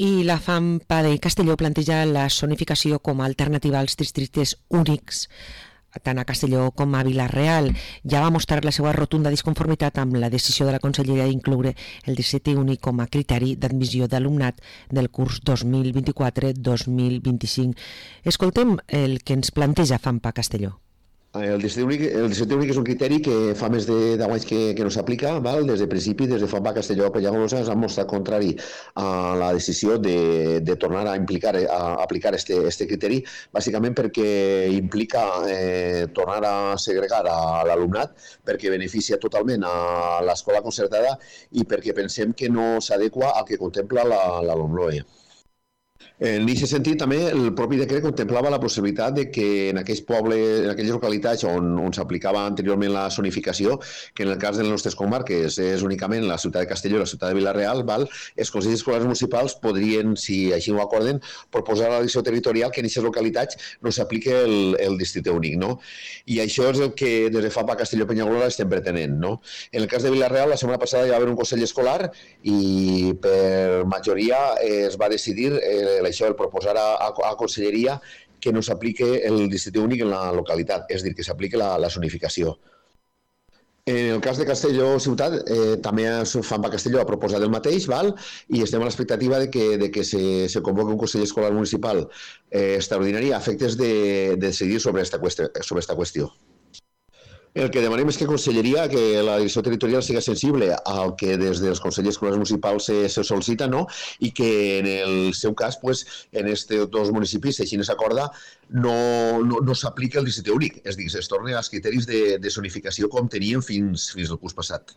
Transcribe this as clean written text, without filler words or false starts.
I la FAMPA de Castelló planteja la zonificació com a alternativa als districtes únics, tant a Castelló com a Vila-real. Ja va mostrar la seva rotunda disconformitat amb la decisió de la Conselleria d'incloure el districte únic com a criteri d'admissió d'alumnat del curs 2024-2025. Escoltem el que ens planteja FAMPA Castelló. El districte únic és un criteri que fa més de 10 anys que no s'aplica, des de principi, des de FAMPA Castelló a Penyagolosa s'ha mostrat contrari a la decisió de tornar a aplicar este criteri, bàsicament perquè implica tornar a segregar a l'alumnat, perquè beneficia totalment a l'escola concertada i perquè pensem que no s'adequa al que contempla la LOMLOE. En aquest sentit, també, el propi decret contemplava la possibilitat de que en aquells pobles, en aquelles localitats on s'aplicava anteriorment la zonificació, que en el cas de les nostres comarques és únicament la ciutat de Castelló i la ciutat de Vila-real, els consells escolars municipals podrien, si així ho acorden, proposar a la direcció territorial que en aquestes localitats no s'apliqui el districte únic. I això és el que des de FAMPA Castelló Penyagolosa estem pretenent. En el cas de Vila-real, la setmana passada hi va haver un consell escolar i per majoria es va decidir això, el proposar a Conselleria que no s'aplique el districte únic en la localitat, és a dir, que s'aplique la zonificació. En el cas de Castelló ciutat, també FAMPA Castelló ha proposat el mateix, i estem a l'expectativa de que se convoqui un Consell Escolar Municipal extraordinari a efectes de decidir sobre esta qüestió. El que demanem és que Conselleria, que la direcció territorial siga sensible al que des dels Consells Escolars Municipals se sol·licita, i que en el seu cas, en aquests dos municipis, si així no s'acorda, no s'aplica el districte únic, és a dir, es torni als criteris de zonificació com teníem fins al curs passat.